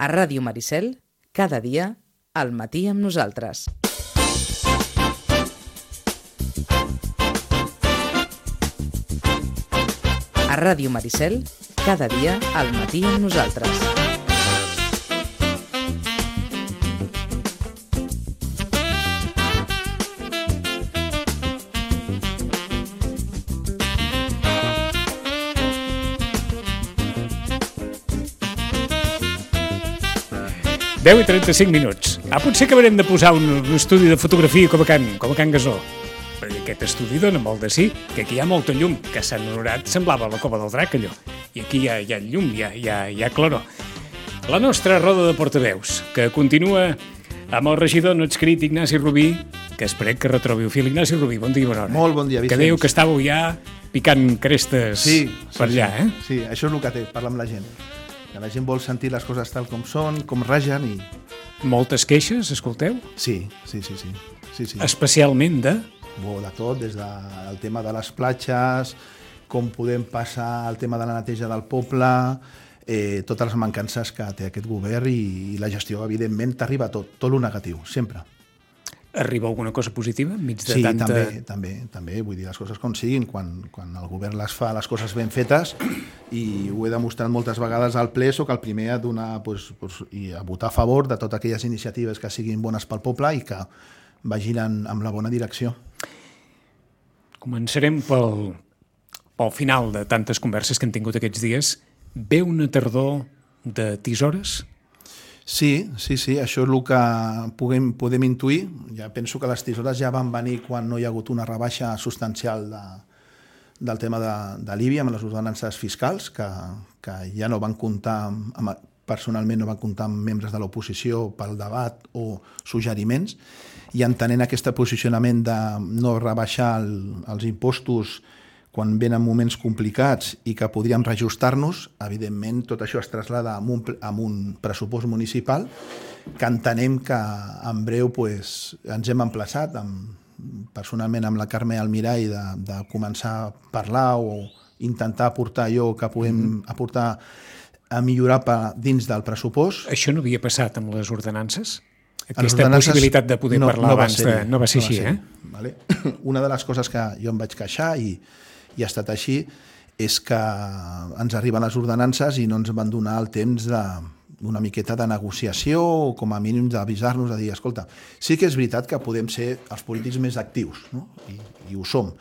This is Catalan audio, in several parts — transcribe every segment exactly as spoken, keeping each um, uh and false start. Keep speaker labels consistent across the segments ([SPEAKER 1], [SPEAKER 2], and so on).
[SPEAKER 1] A Ràdio Maricel, cada dia, al matí amb nosaltres. A Ràdio Maricel, cada dia, al matí amb nosaltres.
[SPEAKER 2] deu i trenta-cinc minuts. Ah, potser acabarem de posar un, un estudi de fotografia com a Can, com a Can Gasó. Perquè aquest estudi dona molt de sí, que aquí hi ha molta llum, que a Sant Honorat semblava la cova del drac, allò. I aquí hi ha, hi ha llum, hi ha, hi ha, hi ha claror. La nostra roda de portaveus, que continua amb el regidor no adscrit Ignasi Rubí, que esperem que retrobi el fil. Ignasi Rubí, bon dia i bona hora.
[SPEAKER 3] Molt bon dia, Vicenç.
[SPEAKER 2] Que dèieu que estàveu ja picant crestes
[SPEAKER 3] sí,
[SPEAKER 2] per
[SPEAKER 3] sí,
[SPEAKER 2] allà,
[SPEAKER 3] sí.
[SPEAKER 2] eh?
[SPEAKER 3] Sí, això és el que té, parlar amb la gent. Que la gent vol sentir les coses tal com són, com ragen i...
[SPEAKER 2] Moltes queixes, escolteu?
[SPEAKER 3] Sí, sí, sí, sí. sí, sí.
[SPEAKER 2] Especialment de...
[SPEAKER 3] Bo, de tot, des del tema de les platges, com podem passar al tema de la neteja del poble, eh, totes les mancances que té aquest govern i, i la gestió, evidentment, t'arriba tot, tot el negatiu, sempre.
[SPEAKER 2] Arriba alguna cosa positiva enmig de
[SPEAKER 3] sí,
[SPEAKER 2] tanta...
[SPEAKER 3] Sí, també, també, també, vull dir les coses com siguin, quan, quan el govern les fa, les coses ben fetes, i ho he demostrat moltes vegades al ple, soc el primer a donar, pues, pues, i a votar a favor de totes aquelles iniciatives que siguin bones pel poble i que vagin en, en la bona direcció.
[SPEAKER 2] Començarem pel, pel final de tantes converses que hem tingut aquests dies. Ve una tardor de tisores?
[SPEAKER 3] Sí, sí, sí, això és el que podem, podem intuir. Ja penso que les tisores ja van venir quan no hi ha hagut una rebaixa substancial de, del tema de, de l'I B I amb les ordenances fiscals, que, que ja no van comptar, amb, personalment no van comptar amb membres de l'oposició pel debat o suggeriments, i entenent aquest posicionament de no rebaixar el, els impostos quan venen moments complicats i que podríem reajustar-nos, evidentment tot això es traslada amb un, amb un pressupost municipal que entenem que en breu pues, ens hem emplaçat, amb, personalment amb la Carme Almirall, de, de començar a parlar o intentar aportar allò que podem mm-hmm. aportar a millorar per, dins del pressupost.
[SPEAKER 2] Això no havia passat amb les ordenances? Aquesta possibilitat de poder
[SPEAKER 3] no,
[SPEAKER 2] parlar
[SPEAKER 3] no
[SPEAKER 2] abans de... No va ser
[SPEAKER 3] no
[SPEAKER 2] així,
[SPEAKER 3] va ser,
[SPEAKER 2] eh?
[SPEAKER 3] Vale? Una de les coses que jo em vaig queixar i i ha estat així, és que ens arriben les ordenances i no ens van donar el temps de, una miqueta de negociació o com a mínim d'avisar-nos, de dir, escolta, sí que és veritat que podem ser els polítics més actius, no? I, i ho som,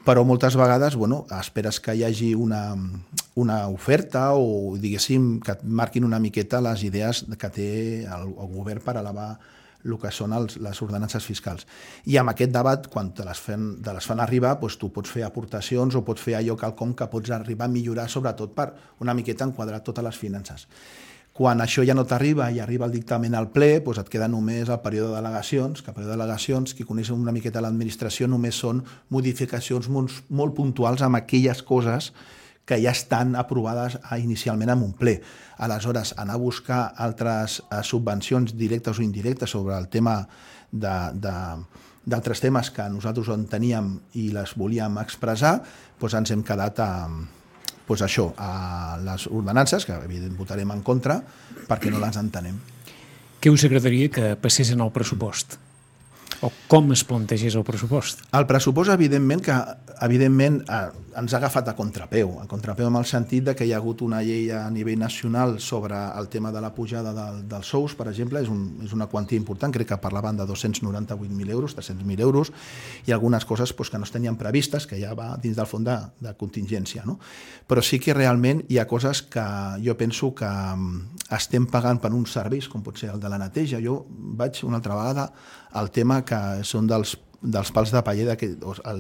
[SPEAKER 3] però moltes vegades bueno, esperes que hi hagi una, una oferta o diguéssim que et marquin una miqueta les idees que té el, el govern per elevar el que són els, les ordenances fiscals. I amb aquest debat, quan te les fan, te les fan arribar, doncs tu pots fer aportacions o pots fer allò quelcom que pots arribar a millorar, sobretot per una miqueta enquadrar totes les finances. Quan això ja no t'arriba i arriba el dictamen al ple, doncs et queda només el període de delegacions, que el període de delegacions, qui coneix una miqueta l'administració, només són modificacions molt, molt puntuals amb aquelles coses que ja estan aprovades inicialment en un ple. Aleshores, anar a buscar altres subvencions directes o indirectes sobre el tema de, de, d'altres temes que nosaltres en teníem i les volíem expressar, doncs ens hem quedat a, doncs això, a les ordenances, que evidentment votarem en contra, perquè no les entenem.
[SPEAKER 2] Què us agradaria que passessin al pressupost? O com es plantegés el pressupost?
[SPEAKER 3] El pressupost, evidentment, que evidentment eh, ens ha agafat a contrapeu, a contrapeu en el sentit de que hi ha hagut una llei a nivell nacional sobre el tema de la pujada del, dels sous, per exemple, és, un, és una quantia important, crec que parlaven de dos-cents noranta-vuit mil euros, tres-cents mil euros, i algunes coses pues, que no es tenien previstes, que ja va dins del fons de, de contingència, no? Però sí que realment hi ha coses que jo penso que estem pagant per uns serveis, com pot ser el de la neteja. Jo vaig una altra vegada al tema que són dels, dels pals de paller, el,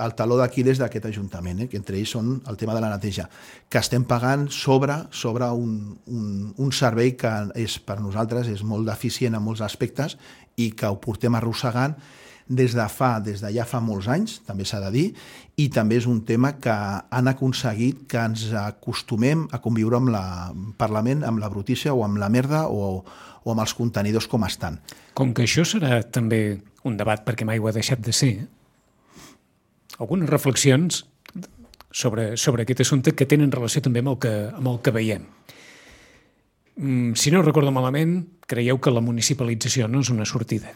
[SPEAKER 3] el taló d'Aquil·les d'aquest Ajuntament, eh, que entre ells són el tema de la neteja, que estem pagant sobre, sobre un, un, un servei que és, per nosaltres és molt deficient en molts aspectes i que ho portem arrossegant des de fa, des de ja fa molts anys, també s'ha de dir, i també és un tema que han aconseguit que ens acostumem a conviure amb el Parlament, amb la brutícia o amb la merda o, o amb els contenidors com estan.
[SPEAKER 2] Com que això serà també un debat, perquè mai ho ha deixat de ser, algunes reflexions sobre, sobre aquest assumpte que tenen relació també amb el que, amb el que veiem. si no recordo malament, creieu que la municipalització no és una sortida?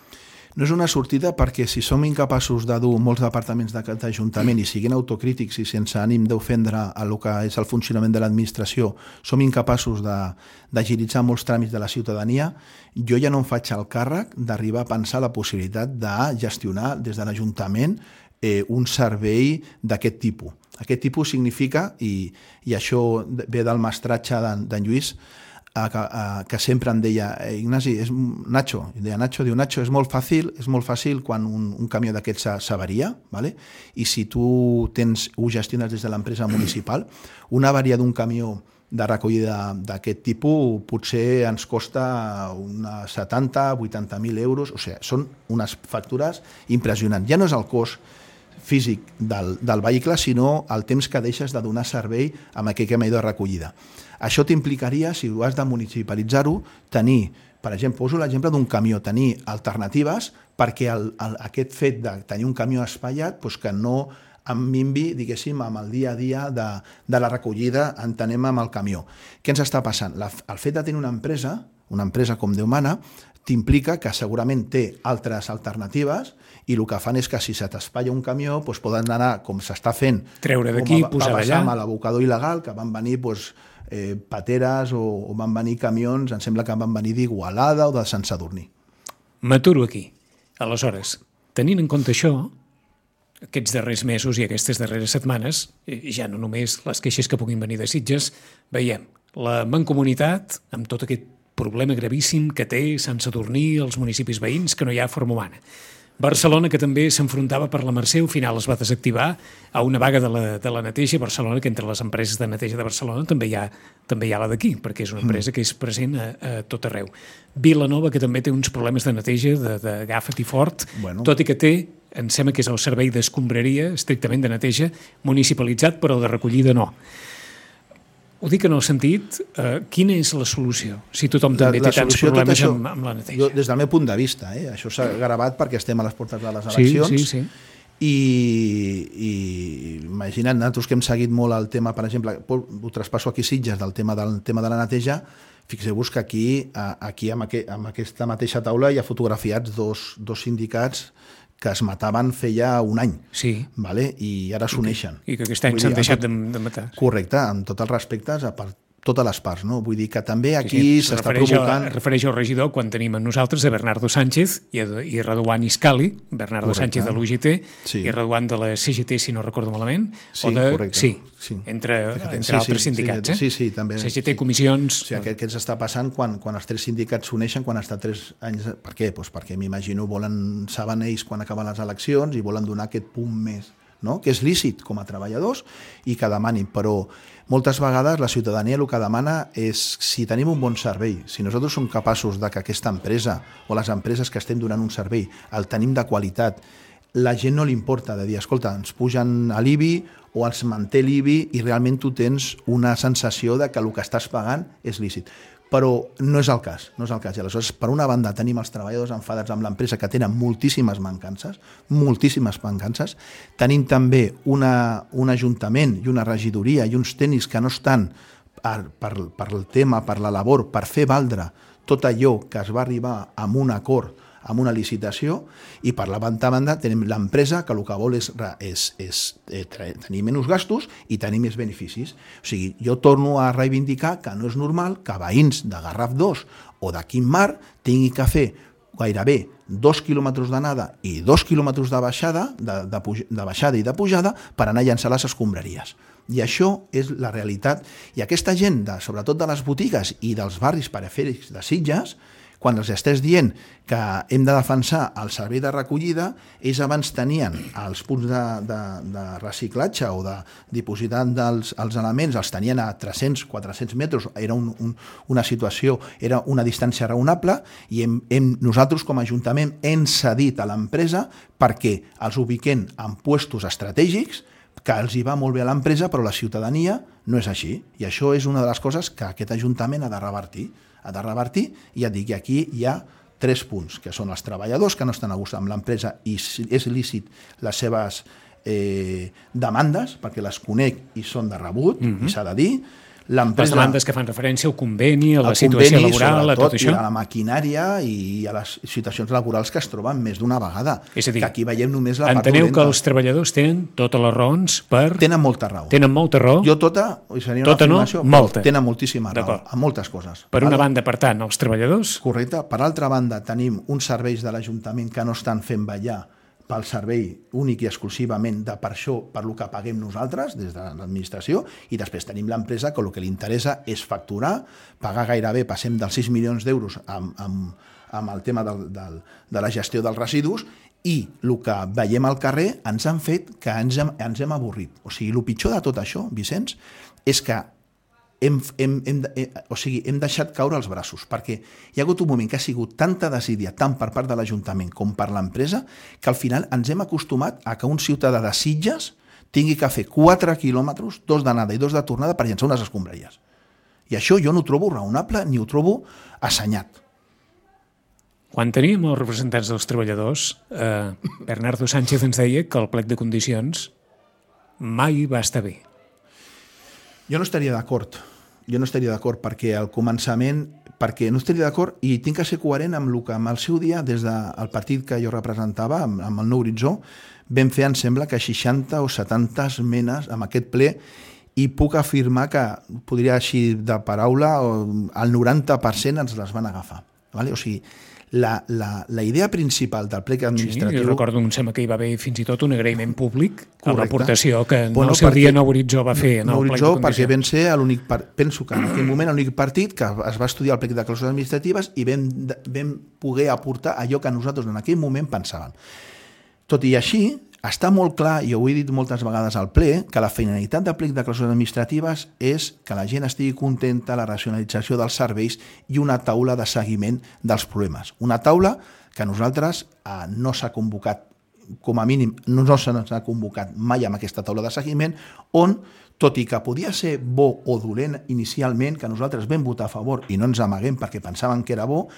[SPEAKER 3] No és una sortida perquè si som incapaços de dur molts departaments d'aquest Ajuntament i siguin autocrítics i sense ànim d'ofendre el que és el funcionament de l'administració, som incapaços d'agilitzar molts tràmits de la ciutadania, jo ja no em faig el càrrec d'arribar a pensar la possibilitat de gestionar des de l'Ajuntament eh, un servei d'aquest tipus. Aquest tipus significa, i, i això ve del mestratge d'en Lluís, A, a, que sempre em deia eh, Ignasi, és Nacho, i deia Nacho, diu Nacho, és molt fàcil, és molt fàcil quan un, un camió d'aquests s'avaria, ¿vale? I si tu tens, ho gestiones des de l'empresa municipal, una avaria d'un camió de recollida d'aquest tipus potser ens costa unes setanta, vuitanta mil euros, o sigui, són unes factures impressionants. Ja no és el cost físic del, del vehicle, sinó el temps que deixes de donar servei amb aquest camió de recollida. Això t'implicaria, si ho has de municipalitzar-ho, tenir, per exemple, poso l'exemple d'un camió, tenir alternatives perquè el, el, aquest fet de tenir un camió espaiat doncs que no em minvi, diguéssim, amb el dia a dia de, de la recollida, entenem amb el camió. Què ens està passant? La, el fet de tenir una empresa, una empresa com Déu mana, t'implica que segurament té altres alternatives i el que fan és que si se t'espatlla un camió doncs poden anar, com s'està fent,
[SPEAKER 2] treure d'aquí, posar allà,
[SPEAKER 3] amb l'abocador il·legal, que van venir doncs, eh, pateres o, o van venir camions, em sembla que van venir d'Igualada o de Sant Sadurní.
[SPEAKER 2] M'aturo aquí. Aleshores, tenint en compte això, aquests darrers mesos i aquestes darreres setmanes, ja no només les queixes que puguin venir de Sitges, veiem la mancomunitat amb tot aquest problema gravíssim que té Sant Sadurní, els municipis veïns, que no hi ha forma humana. Barcelona, que també s'enfrontava per la Mercè, al final es va desactivar a una vaga de la, de la neteja. Barcelona, que entre les empreses de neteja de Barcelona també hi ha, també hi ha la d'aquí, perquè és una empresa que és present a, a tot arreu. Vilanova, que també té uns problemes de neteja, de, de Agafa't i Fort, bueno. Tot i que té, em sembla que és el servei d'escombraria, estrictament de neteja, municipalitzat, però de recollida no. Ho dic en el sentit, eh, quina és la solució? Si tothom també té tants problemes això, amb, amb la neteja.
[SPEAKER 3] Jo, des del meu punt de vista, eh, això s'ha gravat perquè estem a les portes de les eleccions.
[SPEAKER 2] Sí, sí, sí.
[SPEAKER 3] I, i imagina't, nosaltres que hem seguit molt el tema, per exemple, ho traspasso aquí Sitges, del tema, del tema de la neteja, fixeu-vos que aquí, aquí amb, aqu amb aquesta mateixa taula hi ha fotografiats dos, dos sindicats que es mataven feia un any,
[SPEAKER 2] sí.
[SPEAKER 3] Vale? I ara s'uneixen.
[SPEAKER 2] I que aquest any s'han deixat de, de matar.
[SPEAKER 3] Correcte, amb tots els respectes a part, totes les parts, no? Vull dir que també aquí sí, sí, s'està provocant...
[SPEAKER 2] Es refereix al regidor quan tenim a nosaltres a Bernardo Sánchez i, a, i Raduan Iscali, Bernardo correcte. Sánchez de l'U G T sí. I Raduan de la C G T, si no recordo malament,
[SPEAKER 3] sí,
[SPEAKER 2] o de...
[SPEAKER 3] correcte.
[SPEAKER 2] Sí,
[SPEAKER 3] sí.
[SPEAKER 2] entre, entre
[SPEAKER 3] sí,
[SPEAKER 2] altres
[SPEAKER 3] sí,
[SPEAKER 2] sindicats,
[SPEAKER 3] sí,
[SPEAKER 2] eh?
[SPEAKER 3] Sí, sí, també.
[SPEAKER 2] C G T,
[SPEAKER 3] sí.
[SPEAKER 2] comissions...
[SPEAKER 3] O sigui, aquest que ens està passant quan, quan els tres sindicats s'uneixen, quan està tres anys... Per què? Pues perquè m'imagino volen, saben ells quan acaben les eleccions i volen donar aquest punt més, no? Que és lícit com a treballadors i que demanin, però moltes vegades la ciutadania el que demana és si tenim un bon servei, si nosaltres som capaços de que aquesta empresa o les empreses que estem donant un servei el tenim de qualitat, la gent no li importa de dir, escolta, ens pugen a l'I B I o ens manté l'I B I i realment tu tens una sensació de que el que estàs pagant és lícit. Però no és el cas, no és el cas. I aleshores, per una banda, tenim els treballadors enfadats amb l'empresa que tenen moltíssimes mancances, moltíssimes mancances. Tenim també una, un ajuntament i una regidoria i uns tècnics que no estan per, per, per el tema, per la labor, per fer valdre tot allò que es va arribar amb un acord, amb una licitació, i per la banda tenim l'empresa que el que vol és, és, és eh, tenir menys gastos i tenir més beneficis. O sigui, jo torno a reivindicar que no és normal que veïns de Garraf dos o de Quim Mar tinguin que fer gairebé dos quilòmetres d'anada i dos quilòmetres de baixada, de, de, de baixada i de pujada per anar a llançar les escombraries. I això és la realitat. I aquesta gent, de, sobretot de les botigues i dels barris perifèrics de Sitges, quan els estàs dient que hem de defensar el servei de recollida, ells abans tenien els punts de, de, de reciclatge o de dipositant dels els elements, els tenien a tres-cents a quatre-cents metres, era un, un, una situació, era una distància raonable, i hem, hem, nosaltres com a Ajuntament hem cedit a l'empresa perquè els ubiquem en puestos estratègics, que els hi va molt bé a l'empresa, però la ciutadania no és així. I això és una de les coses que aquest Ajuntament ha de revertir. ha de revertir, i ja et dic que aquí hi ha tres punts, que són els treballadors que no estan a gust amb l'empresa i és lícit les seves eh, demandes, perquè les conec i són de rebut, mm-hmm. i s'ha de dir,
[SPEAKER 2] les demandes que fan referència al conveni, a la situació laboral, a tot això.
[SPEAKER 3] I a la maquinària i a les situacions laborals que es troben més d'una vegada.
[SPEAKER 2] És a dir,
[SPEAKER 3] que aquí veiem només la part
[SPEAKER 2] enteneu
[SPEAKER 3] dolenta.
[SPEAKER 2] que els treballadors tenen totes les raons per...
[SPEAKER 3] Tenen molta raó.
[SPEAKER 2] Tenen molta raó.
[SPEAKER 3] Jo tota, seria una
[SPEAKER 2] tota no, molta.
[SPEAKER 3] Tenen moltíssima raó, en moltes coses.
[SPEAKER 2] Per una banda, per tant, els treballadors...
[SPEAKER 3] Correcte. Per altra banda, tenim uns serveis de l'Ajuntament que no estan fent ballar pel servei únic i exclusivament de per això, per lo que paguem nosaltres des de l'administració, i després tenim l'empresa que el que li interessa és facturar, pagar gairebé, passem dels sis milions d'euros amb, amb, amb el tema del, del, de la gestió dels residus, i el que veiem al carrer ens han fet que ens hem, ens hem avorrit. O sigui, el pitjor de tot això, Vicenç, és que Hem, hem, hem, eh, o sigui, hem deixat caure els braços, perquè hi ha hagut un moment que ha sigut tanta desídia, tant per part de l'Ajuntament com per l'empresa, que al final ens hem acostumat a que un ciutadà de Sitges tingui que fer quatre quilòmetres, dos d'anada i dos de tornada per llançar unes escombraries. I això jo no ho trobo raonable ni ho trobo assenyat.
[SPEAKER 2] Quan teníem els representants dels treballadors, eh, Bernardo Sánchez ens deia que el plec de condicions mai va estar bé.
[SPEAKER 3] Jo no estaria d'acord, jo no estaria d'acord perquè al començament, perquè no estaria d'acord i tinc que ser coherent amb el que amb el seu dia, des del partit que jo representava, amb, amb el Nou Horitzó, vam fer, em sembla, que seixanta o setanta esmenes amb aquest ple i puc afirmar que, podria així de paraula, el noranta per cent ens les van agafar. Vale? O sigui, La, la, la idea principal del plec administratiu...
[SPEAKER 2] Sí, jo recordo, em sembla que hi va haver fins i tot un agraïment públic a
[SPEAKER 3] Correcte.
[SPEAKER 2] L'aportació que en
[SPEAKER 3] bueno,
[SPEAKER 2] el seu
[SPEAKER 3] perquè,
[SPEAKER 2] dia Nou Horitzó va fer en
[SPEAKER 3] Nou
[SPEAKER 2] el plec de
[SPEAKER 3] condicions. Perquè vam ser l'únic, penso que en aquell moment l'únic partit que es va estudiar el plec de clàusules administratives i vam, vam poder aportar allò que nosaltres en aquell moment pensàvem. Tot i així, està molt clar, i ho he dit moltes vegades al ple, que la finalitat del plec de clàusules administratives és que la gent estigui contenta, la racionalització dels serveis i una taula de seguiment dels problemes. Una taula que nosaltres eh, no s'ha convocat, com a mínim no se'ns ha convocat mai amb aquesta taula de seguiment, on, tot i que podia ser bo o dolent inicialment, que nosaltres vam votar a favor i no ens amaguem perquè pensàvem que era bo,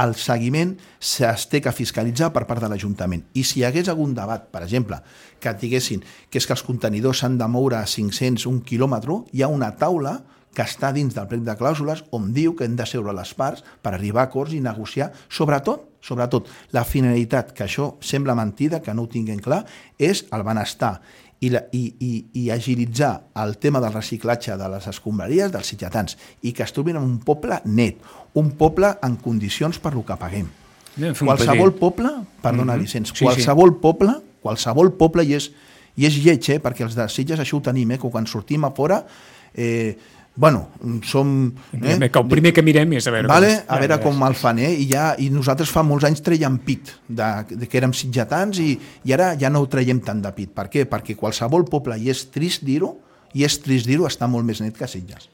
[SPEAKER 3] el seguiment es té que fiscalitzar per part de l'Ajuntament. I si hi hagués algun debat, per exemple, que diguessin que és que els contenidors s'han de moure a cinc-cents, un quilòmetre, hi ha una taula que està dins del plec de clàusules on diu que hem de seure les parts per arribar a acords i negociar, sobretot, sobretot, la finalitat, que això sembla mentida, que no ho tinguem clar, és el benestar i, la, i, i, i agilitzar el tema del reciclatge de les escombraries dels sitgetans i que es trobin en un poble net, un poble en condicions per lo que paguem. Qualsevol poble, perdona mm-hmm. Vicenç, sí, qualsevol sí. poble, qualsevol poble, i és, i és lleig, eh, perquè els de Sitges això ho tenim, eh, que quan sortim a fora... Eh, bueno, som...
[SPEAKER 2] Eh? El primer que mirem és a veure,
[SPEAKER 3] vale, com, a veure com el fan, eh? I, ja, i nosaltres fa molts anys traiem pit, de, de que érem sitgetans i, i ara ja no ho traiem tant de pit. Per què? Perquè qualsevol poble, i és trist dir-ho, i és trist dir-ho, està molt més net que Sitges.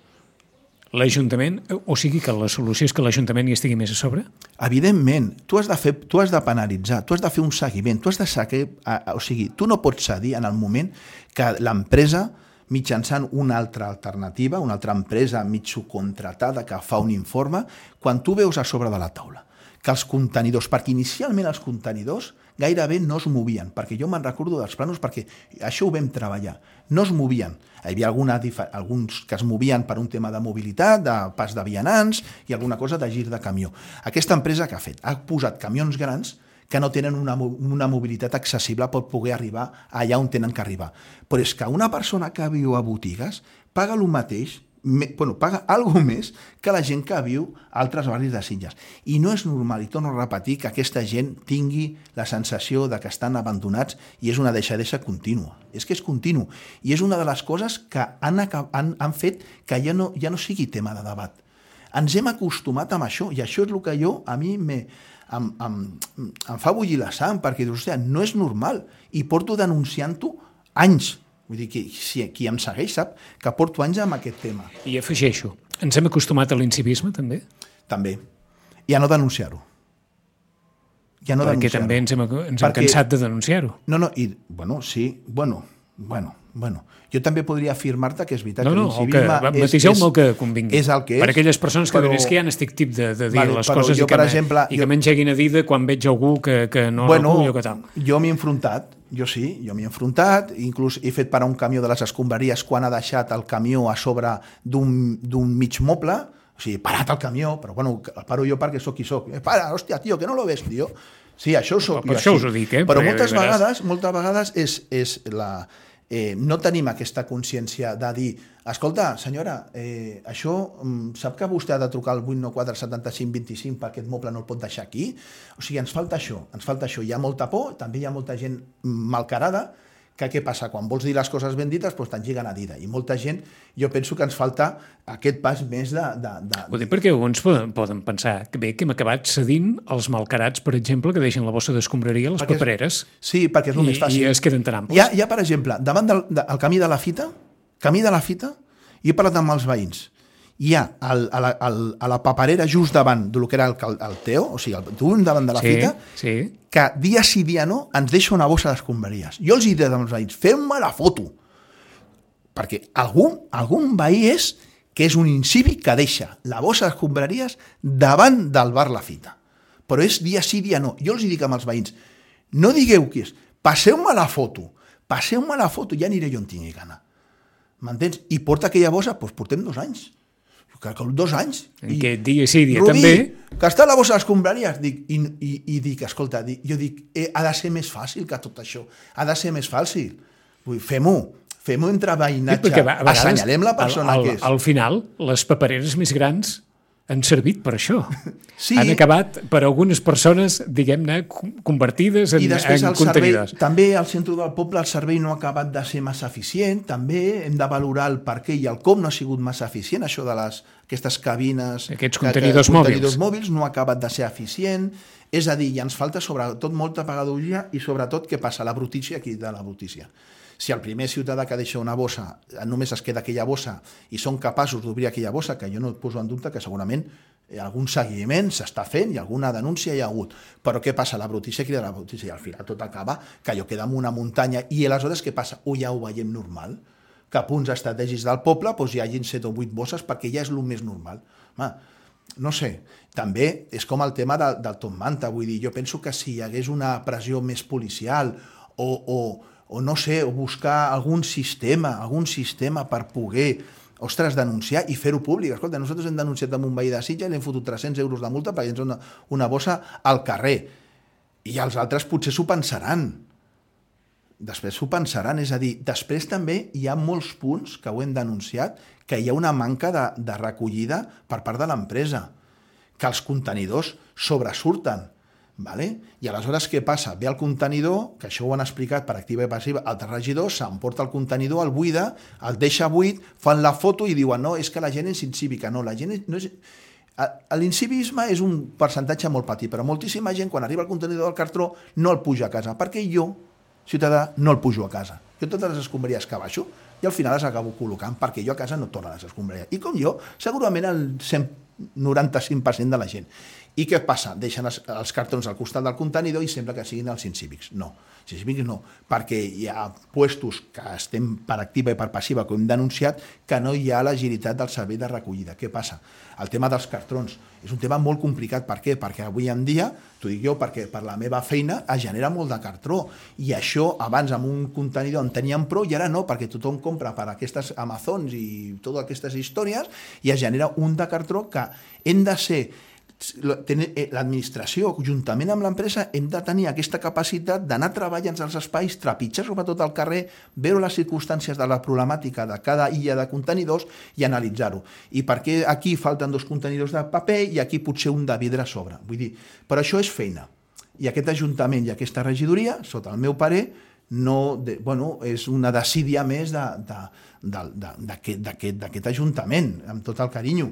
[SPEAKER 2] L'Ajuntament, o sigui que la solució és que l'Ajuntament hi estigui més a sobre?
[SPEAKER 3] Evidentment, tu has de fer, tu has de penalitzar, tu has de fer un seguiment, tu has de saber, o sigui, tu no pots cedir en el moment que l'empresa mitjançant una altra alternativa, una altra empresa mig subcontratada que fa un informe, quan tu veus a sobre de la taula que els contenidors, perquè inicialment els contenidors gairebé no es movien, perquè jo me'n recordo dels plànols, perquè això ho vam treballar, no es movien. Hi havia alguna, alguns que es movien per un tema de mobilitat, de pas de vianants i alguna cosa de gir de camió. Aquesta empresa que ha fet? Ha posat camions grans que no tenen una, una mobilitat accessible per poder arribar allà on tenen que arribar. Però és que una persona que viu a botigues paga el mateix, me, bueno, paga alguna més que la gent que viu a altres barris de Sitges. I no és normal, i torno a repetir, que aquesta gent tingui la sensació de que estan abandonats i és una deixadesa contínua. És que és continu. I és una de les coses que han, han, han fet que ja no, ja no sigui tema de debat. Ens hem acostumat amb això, i això és el que jo, a mi, me, em, em, em fa bullir la sang, perquè dius, hòstia, no és normal, i porto denunciant-ho anys. Vull dir que si qui em segueix sap que porto anys amb aquest tema.
[SPEAKER 2] I afegeixo, ens hem acostumat a l'incivisme, també?
[SPEAKER 3] També. I a no denunciar-ho. Ja no
[SPEAKER 2] perquè també ens hem, ens hem perquè... cansat de denunciar-ho.
[SPEAKER 3] No, no, i, bueno, sí, bueno, bueno, bueno. Jo també podria afirmar-te que és veritat
[SPEAKER 2] no,
[SPEAKER 3] que l'incivisme
[SPEAKER 2] no, que, és, és, el que convingui.
[SPEAKER 3] És el que és.
[SPEAKER 2] Per aquelles persones que però, és que ja n'estic tip de, de dir vale, les coses jo, i, que, exemple, i jo, que m'engeguin a dir de quan veig algú que, que no
[SPEAKER 3] bueno,
[SPEAKER 2] recullo que tal.
[SPEAKER 3] Jo m'he enfrontat, jo sí, jo m'hi he enfrontat, inclús he fet parar un camió de les escombraries quan ha deixat el camió a sobre d'un mig moble, o sigui, parat el camió, però bueno, el paro jo perquè sóc qui sóc. Eh, para, hòstia, tio, que no lo ves, tio. Sí, això ho soc
[SPEAKER 2] per
[SPEAKER 3] jo
[SPEAKER 2] això
[SPEAKER 3] així.
[SPEAKER 2] us ho dic, eh?
[SPEAKER 3] Però
[SPEAKER 2] Perquè
[SPEAKER 3] moltes
[SPEAKER 2] veràs...
[SPEAKER 3] vegades, moltes vegades és, és la... Eh, no tenim aquesta consciència de dir, escolta, senyora, eh, això, sap que vostè ha de trucar al vuit nou quatre setanta cinc vint-i-cinc perquè aquest moble no el pot deixar aquí? O sigui, ens falta això, ens falta això. Hi ha molta por, també hi ha molta gent malcarada, que què passa? Quan vols dir les coses ben dites, doncs t'engiguen a dida. I molta gent, jo penso que ens falta aquest pas més de... de, de...
[SPEAKER 2] Ho dic perquè alguns poden, poden pensar que bé, que hem acabat cedint els malcarats, per exemple, que deixen la bossa d'escombraria a les
[SPEAKER 3] Perquè és-
[SPEAKER 2] papereres.
[SPEAKER 3] Sí, perquè és el
[SPEAKER 2] I,
[SPEAKER 3] més fàcil.
[SPEAKER 2] I es queden tan amples.
[SPEAKER 3] Hi ha, hi ha, per exemple, davant del de, el camí de la fita, camí de la fita, i he parlat amb els veïns, hi ha el, a, la, el, a la paperera just davant del que era el, el Teo, o sigui, el tuum davant de la
[SPEAKER 2] Sí,
[SPEAKER 3] fita,
[SPEAKER 2] sí.
[SPEAKER 3] que dia sí dia no ens deixa una bossa d'escombraries. Jo els hi dic als veïns, fem-me la foto, perquè algun, algun veí és que és un incívic que deixa la bossa d'escombraries davant del bar La Fita. Però és dia sí, dia no. Jo els hi dic amb els veïns, no digueu qui és, passeu-me la foto, passeu-me la foto, ja aniré jo on tingui gana. M'entens? I porta aquella bossa, doncs portem dos anys. Que, que dos anys.
[SPEAKER 2] En què dia sí, dia
[SPEAKER 3] Rubí,
[SPEAKER 2] també.
[SPEAKER 3] que està a la bossa d'escombraries. Dic, i, i, I dic, escolta, dic, jo dic, eh, ha de ser més fàcil que tot això. Ha de ser més fàcil. Vull dir, fem-ho. Fem-ho entre veïnatge.
[SPEAKER 2] Sí, a vegades,
[SPEAKER 3] assenyalem la persona
[SPEAKER 2] al, al,
[SPEAKER 3] que és.
[SPEAKER 2] Al final, les papereres més grans han servit per això.
[SPEAKER 3] Sí.
[SPEAKER 2] Han acabat per algunes persones, diguem-ne, convertides en,
[SPEAKER 3] I després
[SPEAKER 2] en
[SPEAKER 3] el servei,
[SPEAKER 2] contenidors.
[SPEAKER 3] també al centre del poble el servei no ha acabat de ser massa eficient, també hem de valorar el per què i el com no ha sigut massa eficient, això de les, aquestes cabines...
[SPEAKER 2] Aquests
[SPEAKER 3] que-
[SPEAKER 2] contenidors
[SPEAKER 3] que,
[SPEAKER 2] mòbils.
[SPEAKER 3] contenidors mòbils no ha acabat de ser eficient, és a dir, ja ens falta sobretot molta pedagogia i sobretot què passa? La brutícia aquí de la brutícia. Si el primer ciutadà que deixa una bossa només es queda aquella bossa i són capaços d'obrir aquella bossa, que jo no et poso en dubte que segurament algun seguiment s'està fent i alguna denúncia hi ha hagut. Però què passa? La brutícia crida la brutícia i al final tot acaba que allò queda en una muntanya i aleshores què passa? O ja ho veiem normal? Que a punts estratègics del poble doncs hi hagin set o vuit bosses perquè ja és el més normal. Home, no sé, també és com el tema del, del Top Manta, vull dir, jo penso que si hi hagués una pressió més policial o, o, o no sé, o buscar algun sistema, algun sistema per poder, ostres, denunciar i fer-ho públic. Escolta, nosaltres hem denunciat amb un veí de Sitges i l'hem fotut tres-cents euros de multa perquè ens una, una bossa al carrer. I els altres potser s'ho pensaran. Després s'ho pensaran, és a dir, després també hi ha molts punts que ho hem denunciat que hi ha una manca de, de recollida per part de l'empresa, que els contenidors sobresurten. Vale? I aleshores què passa? Ve el contenidor, que això ho han explicat per activa i passiva, el regidor s'emporta el contenidor, el buida, el deixa buit, fan la foto i diuen no, és que la gent és incívica. No, la gent és, no és... L'incivisme és un percentatge molt petit, però moltíssima gent quan arriba el contenidor del cartró no el puja a casa, perquè jo, ciutadà, no el pujo a casa. Jo totes les escombraries que baixo i al final les acabo col·locant perquè jo a casa no torno a les escombraries. I com jo, segurament el cent noranta-cinc per cent de la gent. I què passa? Deixen els, els cartrons al costat del contenidor i sembla que siguin els incívics. No, els incívics no, perquè hi ha puestos que estem per activa i per passiva, que hem denunciat, que no hi ha l'agilitat del servei de recollida. Què passa? El tema dels cartrons és un tema molt complicat. Per què? Perquè avui en dia, t'ho dic jo, perquè per la meva feina es genera molt de cartró. I això abans amb un contenidor en teníem prou i ara no, perquè tothom compra per aquestes Amazons i totes aquestes històries i es genera un de cartró que hem de ser l'administració, juntament amb l'empresa, hem de tenir aquesta capacitat d'anar treballant als espais, trepitjar sobretot al carrer, veure les circumstàncies de la problemàtica de cada illa de contenidors i analitzar-ho. I per què aquí falten dos contenidors de paper i aquí potser un de vidre a sobre? Vull dir, però això és feina. I aquest ajuntament i aquesta regidoria, sota el meu parer, no, de, bueno, és una desídia més d'aquest ajuntament, amb tot el carinyo.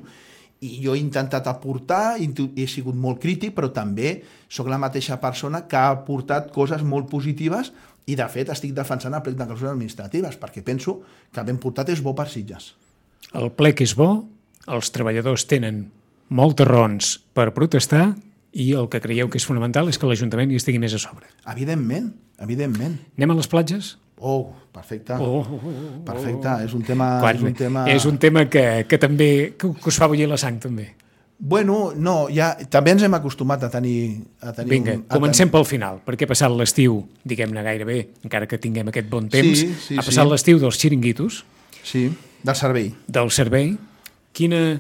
[SPEAKER 3] I jo he intentat aportar, he sigut molt crític, però també sóc la mateixa persona que ha aportat coses molt positives i, de fet, estic defensant el plec de clausures administratives, perquè penso que ben portat és bo per Sitges.
[SPEAKER 2] El plec és bo, els treballadors tenen moltes raons per protestar i el que creieu que és fonamental és que l'Ajuntament hi estigui més a sobre.
[SPEAKER 3] Evidentment, evidentment.
[SPEAKER 2] Anem a les platges?
[SPEAKER 3] Oh, perfecte.
[SPEAKER 2] Oh, oh, oh,
[SPEAKER 3] perfecte, és un tema...
[SPEAKER 2] Quan,
[SPEAKER 3] és un tema,
[SPEAKER 2] és un tema que, que també que us fa bullir la sang, també.
[SPEAKER 3] Bueno, no, ja, també ens hem acostumat a tenir... A tenir
[SPEAKER 2] Vinga,
[SPEAKER 3] un, a
[SPEAKER 2] comencem
[SPEAKER 3] ten...
[SPEAKER 2] pel final, perquè ha passat l'estiu, diguem-ne gairebé, encara que tinguem aquest bon temps,
[SPEAKER 3] Sí, sí,
[SPEAKER 2] ha passat
[SPEAKER 3] sí.
[SPEAKER 2] l'estiu dels xiringuitos,
[SPEAKER 3] Sí, del servei.
[SPEAKER 2] del servei. Quina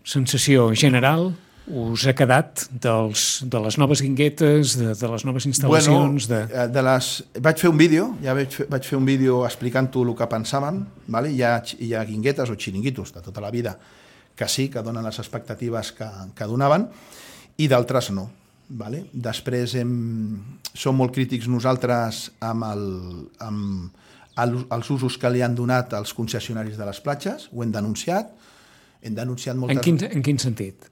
[SPEAKER 2] sensació general us ha quedat dels, de les noves guinguetes, de, de les noves instal·lacions?
[SPEAKER 3] Bueno,
[SPEAKER 2] de...
[SPEAKER 3] de les... vaig fer un vídeo, ja vaig fer, vaig fer un vídeo explicant-ho el que pensàvem, vale? hi, ha, hi ha guinguetes o xiringuitos de tota la vida que sí, que donen les expectatives que, que donaven, i d'altres no. Vale? Després hem, som molt crítics nosaltres amb, el, amb el, els usos que li han donat als concessionaris de les platges, ho hem denunciat, hem denunciat moltes...
[SPEAKER 2] En quin, en quin sentit?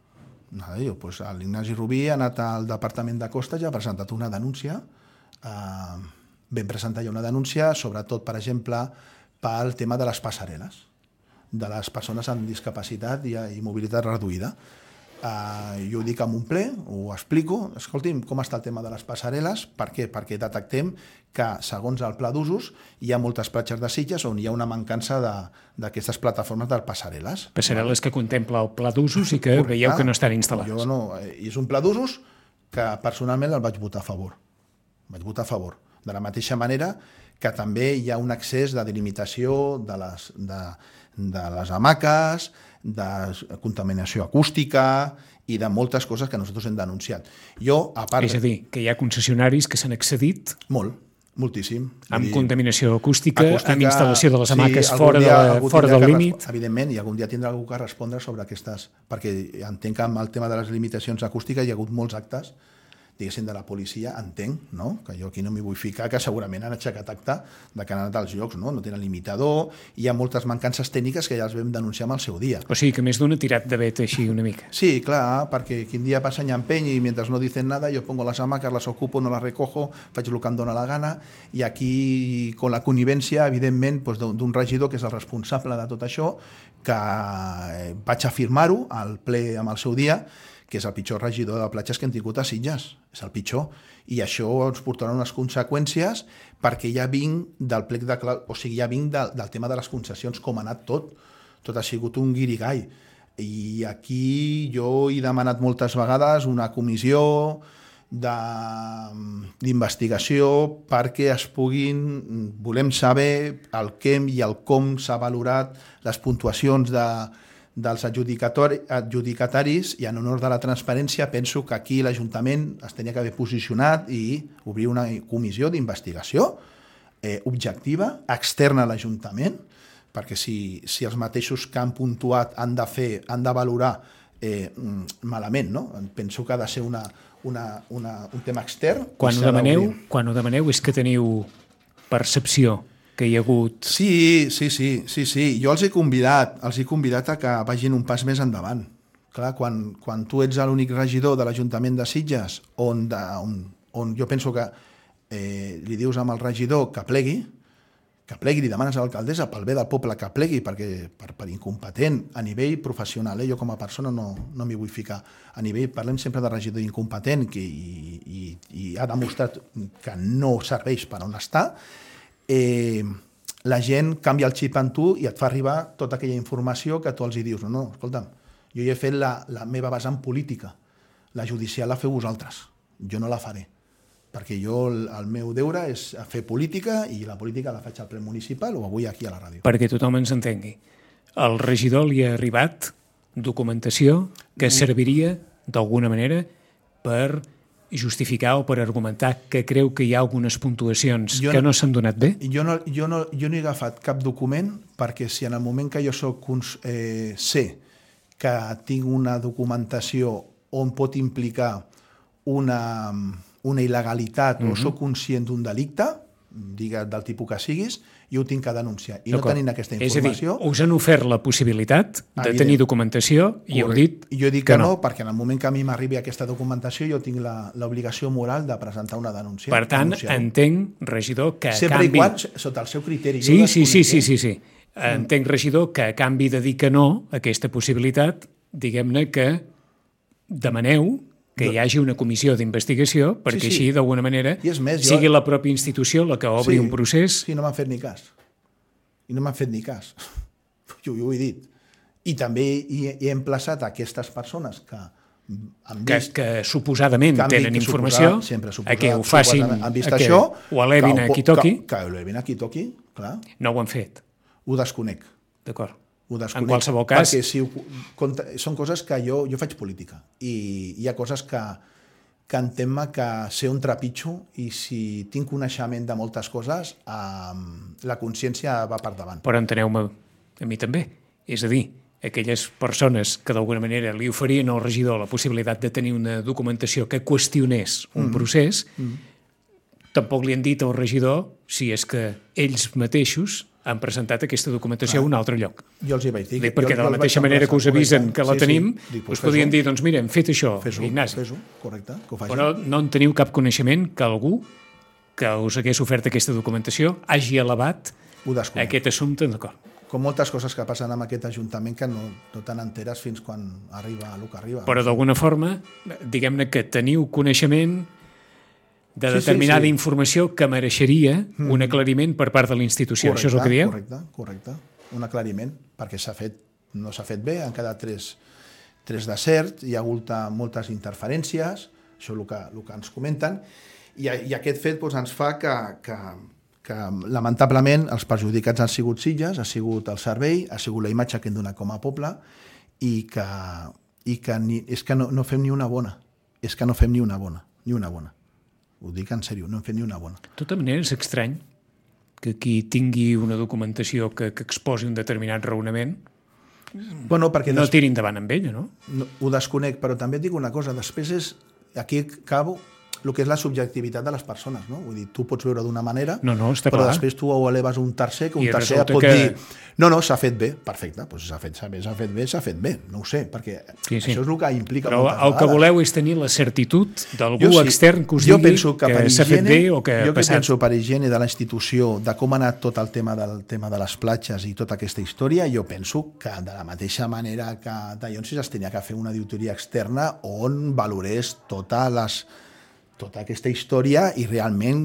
[SPEAKER 3] No, jo, pues, l'Ignasi Rubí ha anat al Departament de Costes i ha presentat una denúncia. Eh, vam presentar ja una denúncia, sobretot, per exemple, pel tema de les passarel·les, de les persones amb discapacitat i, i mobilitat reduïda. Uh, jo ho dic en un ple, ho explico. Escolti'm, com està el tema de les passarel·les? Per què? Perquè detectem que, segons el pla d'usos, hi ha moltes platges de Sitges on hi ha una mancança d'aquestes plataformes de passarel·les.
[SPEAKER 2] Passarel·les que contempla el pla d'usos i que
[SPEAKER 3] Correcte.
[SPEAKER 2] veieu que no estan instal·lats.
[SPEAKER 3] Jo no, i és un pla d'usos que personalment el vaig votar a favor. Vaig votar a favor. De la mateixa manera que també hi ha un excés de delimitació de les, de, de les hamaques, de contaminació acústica i de moltes coses que nosaltres hem denunciat. Jo, a part...
[SPEAKER 2] És a dir, que hi ha concessionaris que s'han excedit
[SPEAKER 3] Molt, moltíssim.
[SPEAKER 2] amb
[SPEAKER 3] Vull dir,
[SPEAKER 2] contaminació acústica,
[SPEAKER 3] acústica,
[SPEAKER 2] amb instal·lació de les hamaques
[SPEAKER 3] sí,
[SPEAKER 2] fora,
[SPEAKER 3] dia,
[SPEAKER 2] de, fora del
[SPEAKER 3] que
[SPEAKER 2] límit.
[SPEAKER 3] Res... Evidentment, i algun dia tindrà algú que respondre sobre aquestes... Perquè entenc que amb el tema de les limitacions acústiques hi ha hagut molts actes, diguéssim, de la policia, entenc, no? Que jo aquí no m'hi vull ficar, que segurament han aixecat acte de que han anat als llocs, no? No tenen limitador, hi ha moltes mancances tècniques que ja els vam denunciar amb el seu dia.
[SPEAKER 2] O sigui que més d'un ha tirat de vet així una mica.
[SPEAKER 3] Sí, clar, perquè quin dia passa nyempeny i mentre no dicen nada yo pongo las hamacas, las ocupo, no las recojo, faig el que em dóna la gana, i aquí, con la connivència, evidentment, doncs, d'un regidor que és el responsable de tot això, que vaig afirmar-ho al ple amb el seu dia, que és el pitjor regidor de platges que hem tingut a Sitges, és el pitjor, i això ens portarà unes conseqüències perquè ja vinc del plec de... o sigui, ja vinc del, del tema de les concessions, com ha anat tot, tot ha sigut un guirigall, i aquí jo he demanat moltes vegades una comissió d'investigació perquè es puguin, volem saber el què i el com s'ha valorat les puntuacions de dels adjudicataris, i en honor de la transparència penso que aquí l'Ajuntament es tenia que haver posicionat i obrir una comissió d'investigació eh, objectiva, externa a l'Ajuntament, perquè si, si els mateixos que han puntuat han de fer, han de valorar eh, malament, no? Penso que ha de ser una, una, una, un tema extern.
[SPEAKER 2] Quan ho demaneu, quan ho demaneu és que teniu percepció que hi ha hagut...
[SPEAKER 3] Sí, sí, sí, sí, sí. Jo els he convidat, els he convidat a que vagin un pas més endavant. Clar, quan, quan tu ets l'únic regidor de l'Ajuntament de Sitges, on, de, on, on jo penso que eh, li dius amb el regidor que plegui, que plegui, li demanes a l'alcaldessa pel bé del poble que plegui, perquè per, per incompetent a nivell professional, eh, jo com a persona no, no m'hi vull ficar, a nivell, parlem sempre de regidor incompetent que, i, i, i ha demostrat que no serveix per on està, Eh, la gent canvia el xip en tu i et fa arribar tota aquella informació que tu els hi dius. No, no, escolta'm, jo ja he fet la, la meva vessant política, la judicial la feu vosaltres, jo no la faré, perquè jo el, el meu deure és fer política i la política la faig al ple municipal o avui aquí a la ràdio.
[SPEAKER 2] Perquè tothom ens entengui. Al regidor li ha arribat documentació que serviria d'alguna manera per justificar o per argumentar que creu que hi ha algunes puntuacions jo que no, no s'han donat bé?
[SPEAKER 3] Jo no, jo, no, jo no he agafat cap document perquè si en el moment que jo soc, eh, sé que tinc una documentació on pot implicar una, una il·legalitat mm-hmm. o soc conscient d'un delicte, digues del tipus que siguis, jo ho tinc que denunciar. I no tenint aquesta informació...
[SPEAKER 2] És a dir, us han ofert la possibilitat de evident. tenir documentació i heu dit
[SPEAKER 3] I jo dic que, que no, no, perquè en el moment que a mi m'arribi aquesta documentació jo tinc l'obligació moral de presentar una denúncia.
[SPEAKER 2] Per tant, entenc, regidor, que a
[SPEAKER 3] Sempre
[SPEAKER 2] canvi...
[SPEAKER 3] Sempre i quan, sota el seu criteri.
[SPEAKER 2] Sí, sí, sí, sí, sí, sí. Entenc, regidor, que a canvi de dir que no a aquesta possibilitat, diguem-ne que demaneu que hi hagi una comissió d'investigació perquè sí, sí. així, d'alguna manera, més, jo... sigui la pròpia institució la que obri
[SPEAKER 3] sí,
[SPEAKER 2] un procés.
[SPEAKER 3] Sí, no m'han fet ni cas. I no m'han fet ni cas. Jo, jo ho he dit. I també hi he emplaçat a aquestes persones que han vist...
[SPEAKER 2] Que, que suposadament
[SPEAKER 3] que
[SPEAKER 2] tenen
[SPEAKER 3] que
[SPEAKER 2] informació,
[SPEAKER 3] sempre
[SPEAKER 2] a que ho facin,
[SPEAKER 3] han vist
[SPEAKER 2] a que
[SPEAKER 3] això,
[SPEAKER 2] ho elevin a qui toqui.
[SPEAKER 3] Que, que ho elevin a qui toqui, clar.
[SPEAKER 2] No ho han fet.
[SPEAKER 3] Ho desconec.
[SPEAKER 2] D'acord.
[SPEAKER 3] Ho desconec.
[SPEAKER 2] En qualsevol cas...
[SPEAKER 3] Perquè si ho, compte, són coses que jo, jo faig política i hi ha coses que, que entenc que sé on trepitjo i si tinc coneixement de moltes coses, eh, la consciència va per davant.
[SPEAKER 2] Però enteneu-me, a mi també. És a dir, aquelles persones que d'alguna manera li oferien al regidor la possibilitat de tenir una documentació que qüestionés un mm. procés, mm. tampoc li han dit al regidor si és que ells mateixos han presentat aquesta documentació ah. a un altre lloc.
[SPEAKER 3] Jo els hi vaig dir.
[SPEAKER 2] Dic, perquè jo, de la mateixa manera que us avisen que la sí, tenim, sí. Dic, us podien dir, doncs mira, hem fet això,
[SPEAKER 3] fes-ho,
[SPEAKER 2] Ignasi.
[SPEAKER 3] Fes-ho, correcte, que ho facin.
[SPEAKER 2] Però no en teniu cap coneixement que algú que us hagués ofert aquesta documentació hagi elevat aquest assumpte, d'acord.
[SPEAKER 3] Com moltes coses que passen amb aquest Ajuntament que no, no te n'enteres fins quan arriba el que arriba.
[SPEAKER 2] Però d'alguna forma, diguem-ne que teniu coneixement de determinada sí, sí, sí. informació que mereixeria mm. un aclariment per part de la institució.
[SPEAKER 3] Correcte,
[SPEAKER 2] això és el que dieu?
[SPEAKER 3] Correcte, correcte. Un aclariment, perquè s'ha fet, no s'ha fet bé, han quedat tres, tres deserts, hi ha hagut moltes interferències, això és el que, el que ens comenten, i, i aquest fet doncs, ens fa que, que que lamentablement els perjudicats han sigut Sitges, ha sigut el servei, ha sigut la imatge que hem donat com a poble i que, i que ni, és que no, no fem ni una bona. És que no fem ni una bona, ni una bona. Ho dic en sèrio, no hem fet ni una bona.
[SPEAKER 2] De tota manera, és estrany que qui tingui una documentació que, que exposi un determinat raonament
[SPEAKER 3] bueno, perquè
[SPEAKER 2] no
[SPEAKER 3] des...
[SPEAKER 2] tiri endavant amb ella, no?
[SPEAKER 3] no? Ho desconec, però també et dic una cosa, després és, aquí acabo, el que és la subjectivitat de les persones, no? Vull dir, tu pots veure d'una manera,
[SPEAKER 2] no, no, està
[SPEAKER 3] però
[SPEAKER 2] clar.
[SPEAKER 3] Després tu ho eleves un tercer, que un
[SPEAKER 2] I
[SPEAKER 3] tercer pot
[SPEAKER 2] que...
[SPEAKER 3] dir no, no, s'ha fet bé, perfecte, doncs s'ha fet, s'ha fet bé, s'ha fet bé, no ho sé, perquè
[SPEAKER 2] sí, sí.
[SPEAKER 3] això és el que implica
[SPEAKER 2] però
[SPEAKER 3] moltes
[SPEAKER 2] el
[SPEAKER 3] vegades.
[SPEAKER 2] Que voleu és tenir la certitud d'algú
[SPEAKER 3] sí,
[SPEAKER 2] extern que us
[SPEAKER 3] jo
[SPEAKER 2] digui
[SPEAKER 3] que,
[SPEAKER 2] que s'ha fet bé o que ha
[SPEAKER 3] jo
[SPEAKER 2] passat.
[SPEAKER 3] Jo penso per higiene de la institució, de com ha anat tot el tema del tema de les platges i tota aquesta història, jo penso que de la mateixa manera que Dallonsis es tenia que fer una auditoria externa on valorés totes les tota aquesta història i realment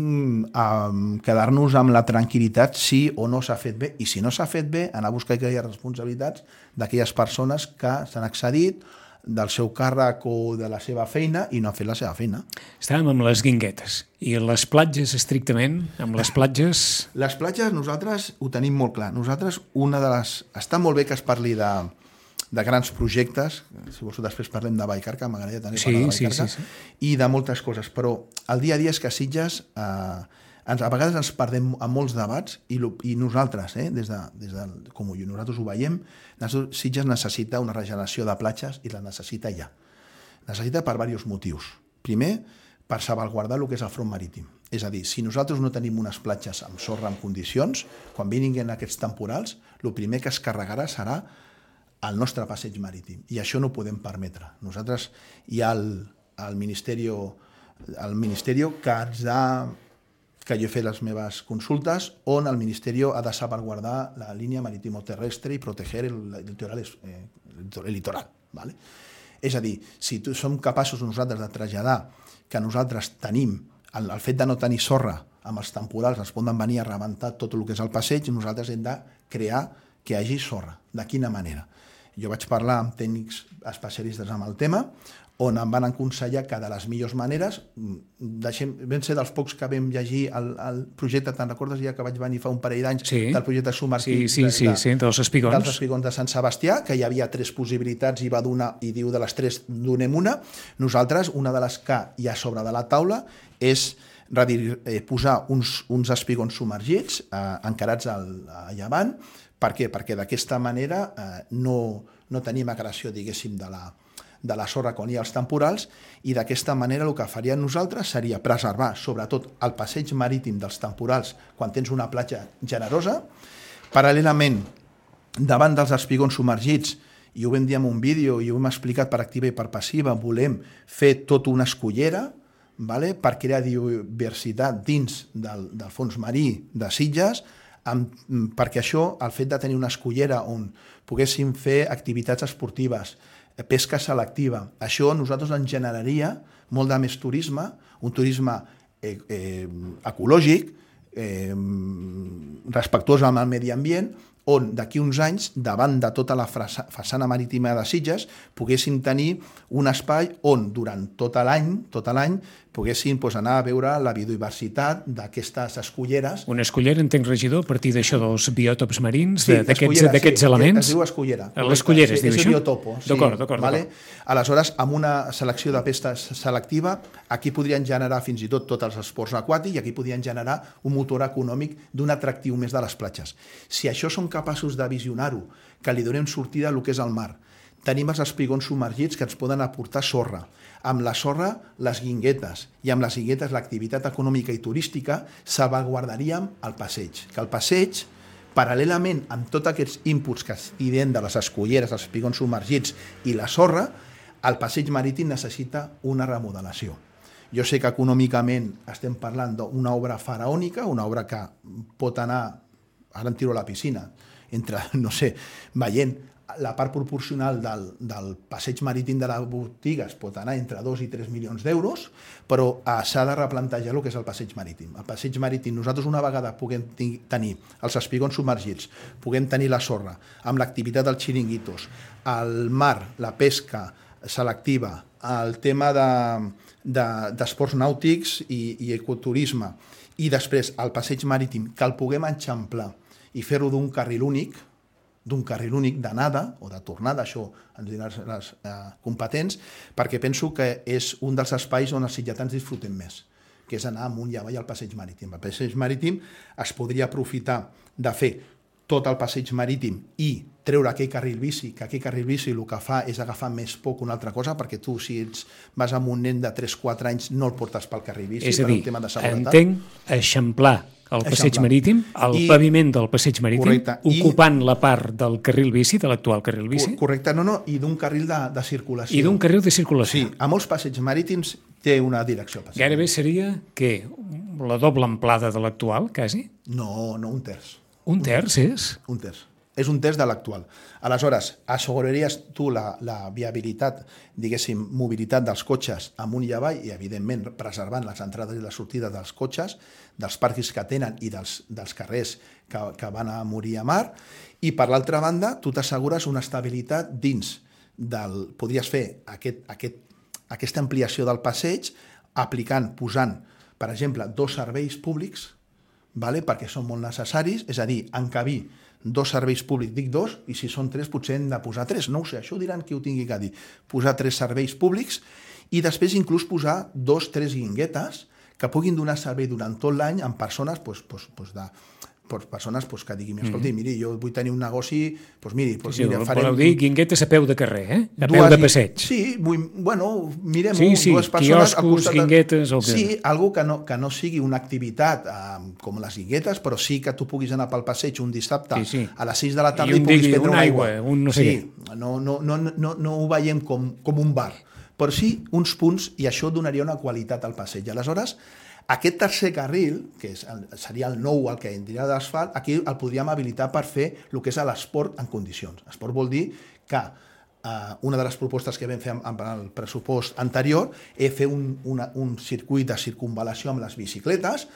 [SPEAKER 3] eh, quedar-nos amb la tranquil·litat si o no s'ha fet bé. I si no s'ha fet bé, anar a buscar aquelles responsabilitats d'aquelles persones que s'han accedit del seu càrrec o de la seva feina i no han fet la seva feina.
[SPEAKER 2] Estàvem amb les guinguetes. I les platges, estrictament, amb les platges...
[SPEAKER 3] Les platges nosaltres ho tenim molt clar. Nosaltres, una de les... Està molt bé que es parli de... de grans projectes, si vols després parlem de Vallcarca, m'agradaria també
[SPEAKER 2] sí,
[SPEAKER 3] parlar de Vallcarca,
[SPEAKER 2] sí, sí, sí.
[SPEAKER 3] i de moltes coses, però el dia a dia és que a Sitges eh, ens, a vegades ens perdem a molts debats i, lo, i nosaltres, eh, des de, des de, com nosaltres ho veiem, Sitges necessita una regeneració de platges i la necessita ja. Necessita per diversos motius. Primer, per salvaguardar el que és el front marítim. És a dir, si nosaltres no tenim unes platges amb sorra en condicions, quan vinguin aquests temporals, el primer que es carregarà serà el nostre passeig marítim, i això no ho podem permetre. Nosaltres hi ha el, el Ministeri el Ministeri que ens ha que jo he fet les meves consultes on el Ministeri ha de salvaguardar la línia marítimo-terrestre i proteger el litoral, eh, el litoral, ¿vale? És a dir, si tu, som capaços nosaltres de traslladar que nosaltres tenim el, el fet de no tenir sorra amb els temporals, ens poden venir a rebentar tot el que és el passeig, nosaltres hem de crear que hi hagi sorra. De quina manera? Jo vaig parlar amb tècnics especialistes amb el tema, on em van aconsellar que de les millors maneres, deixem, vam ser dels pocs que vam llegir el, el projecte, te'n recordes ja que vaig venir fa un parell d'anys,
[SPEAKER 2] sí.
[SPEAKER 3] del projecte submergit
[SPEAKER 2] sí, sí, sí, de, sí, dels espigons.
[SPEAKER 3] dels espigons de Sant Sebastià, que hi havia tres possibilitats i va donar, i diu de les tres donem una. Nosaltres, una de les que hi ha sobre de la taula és redir, eh, posar uns, uns espigons submergits eh, encarats al, a llevant. Per què? Perquè d'aquesta manera eh, no, no tenim agressió, diguéssim, de la, de la sorra quan hi ha els temporals, i d'aquesta manera el que faríem nosaltres seria preservar, sobretot, el passeig marítim dels temporals quan tens una platja generosa. Paral·lelament, davant dels espigons submergits, i ho vam dir en un vídeo i ho hem explicat per activa i per passiva, volem fer tota una escullera, vale? Per crear diversitat dins del, del fons marí de Sitges, amb, perquè això, el fet de tenir una escullera on poguéssim fer activitats esportives, pesca selectiva, això a nosaltres ens generaria molt de més turisme, un turisme eh, eh, ecològic, eh, respectuós amb el medi ambient, on d'aquí uns anys, davant de tota la façana marítima de Sitges, poguéssim tenir un espai on durant tot l'any, tot l'any, poguéssim doncs, anar a veure la biodiversitat d'aquestes esculleres.
[SPEAKER 2] Una escullera, entenc, regidor, a partir d'això dels biòtops marins,
[SPEAKER 3] sí,
[SPEAKER 2] d'aquests sí, elements?
[SPEAKER 3] Es diu escullera.
[SPEAKER 2] L'escullera es
[SPEAKER 3] sí,
[SPEAKER 2] diu
[SPEAKER 3] és
[SPEAKER 2] això?
[SPEAKER 3] Biotopo. Sí,
[SPEAKER 2] d'acord, d'acord.
[SPEAKER 3] Vale? Aleshores, amb una selecció de pestes selectiva, aquí podrien generar fins i tot tots els esports aquàtics i aquí podrien generar un motor econòmic d'un atractiu més de les platges. Si això som capaços de visionar-ho, que li donem sortida al que és el mar, tenim els espigons submergits que ens poden aportar sorra. Amb la sorra, les guinguetes, i amb les guinguetes l'activitat econòmica i turística, salvaguardaríem el passeig. Que el passeig, paral·lelament amb tots aquests inputs que estem de les esculleres, els espigons submergits i la sorra, el passeig marítim necessita una remodelació. Jo sé que econòmicament estem parlant d'una obra faraònica, una obra que pot anar, ara em tiro a la piscina, entre, no sé, veient la part proporcional del, del passeig marítim de les botigues pot anar entre dos i tres milions d'euros, però eh, s'ha de replantejar el que és el passeig marítim. El passeig marítim, nosaltres una vegada puguem tenir els espigons submergits, puguem tenir la sorra, amb l'activitat dels xiringuitos, el mar, la pesca selectiva, el tema d'esports de, de, nàutics i, i ecoturisme, i després el passeig marítim, que el puguem enxamplar i fer-ho d'un carril únic, d'un carril únic d'anada o de tornada, això ens diran les eh, competents, perquè penso que és un dels espais on els sitgetans disfrutem més, que és anar amunt i avall al passeig marítim. El passeig marítim es podria aprofitar de fer tot el passeig marítim i treure aquell carril bici, que aquell carril bici el que fa és agafar més por que una altra cosa, perquè tu, si ets, vas amb un nen de tres quatre anys, no el portes pel carril bici,
[SPEAKER 2] és a dir,
[SPEAKER 3] per un tema de seguretat.
[SPEAKER 2] Entenc eixamplar el passeig Eixamplar. marítim, el I, paviment del passeig marítim, correcte, ocupant i, la part del carril bici, de l'actual carril bici.
[SPEAKER 3] Correcte, no, no, i d'un carril de, de circulació.
[SPEAKER 2] I d'un carril de circulació.
[SPEAKER 3] Sí, a molts passeigs marítims té una direcció. Passeig.
[SPEAKER 2] Gairebé seria, què, la doble amplada de l'actual, quasi?
[SPEAKER 3] No, no, un terç.
[SPEAKER 2] Un terç és?
[SPEAKER 3] Un terç. És un terç de l'actual. Aleshores, asseguraries tu la, la viabilitat, diguéssim, mobilitat dels cotxes amunt i avall i, evidentment, preservant les entrades i les sortides dels cotxes, dels parquis que tenen i dels, dels carrers que, que van a morir a mar. I, per l'altra banda, tu t'assegures una estabilitat dins del... Podries fer aquest, aquest, aquesta ampliació del passeig aplicant, posant, per exemple, dos serveis públics, vale? Perquè són molt necessaris, és a dir, encabir dos serveis públics, dic dos, i si són tres potser hem de posar tres, no ho sé, això ho diran qui ho tingui que dir, posar tres serveis públics i després inclús posar dos, tres guinguetes que puguin donar servei durant tot l'any amb persones pues, pues, pues de, pues, persones pues, que diguin, escolti, miri, jo vull tenir un negoci, doncs miri... Pues,
[SPEAKER 2] sí,
[SPEAKER 3] mira,
[SPEAKER 2] farem... Voleu dir guinguetes a peu de carrer, eh? A
[SPEAKER 3] dues,
[SPEAKER 2] peu de passeig.
[SPEAKER 3] Sí, vull, bueno, mirem
[SPEAKER 2] sí, sí,
[SPEAKER 3] dues persones...
[SPEAKER 2] quioscos, guinguetes... O que...
[SPEAKER 3] Sí, algo que no, que no sigui una activitat eh, com les guinguetes, però sí que tu puguis anar pel passeig un dissabte sí, sí. a les sis de la tarda i, i puguis prendre una aigua.
[SPEAKER 2] aigua. Un no sé
[SPEAKER 3] sí, no, no, no, no, no ho veiem com, com un bar, però sí uns punts i això donaria una qualitat al passeig. Aleshores, aquest tercer carril, que és, seria el nou, el que tindria d'asfalt, aquí el podríem habilitar per fer el que és l'esport en condicions. Esport vol dir que eh, una de les propostes que vam fer amb, amb el pressupost anterior és fer un, una, un circuit de circunvalació amb les bicicletes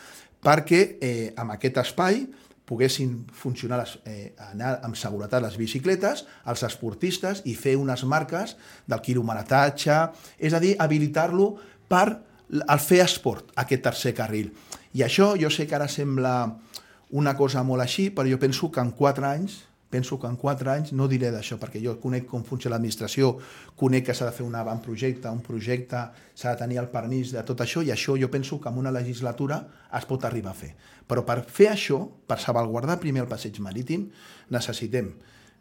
[SPEAKER 3] perquè eh, amb aquest espai poguessin funcionar, les, eh, anar amb seguretat les bicicletes, els esportistes i fer unes marques del quilometratge, és a dir, habilitar-lo per el fer esport, aquest tercer carril. I això jo sé que ara sembla una cosa molt així, però jo penso que en quatre anys, penso que en quatre anys, no diré d'això, perquè jo conec com funciona l'administració, conec que s'ha de fer un avantprojecte, un projecte, s'ha de tenir el permís de tot això, i això jo penso que en una legislatura es pot arribar a fer. Però per fer això, per salvaguardar primer el passeig marítim, necessitem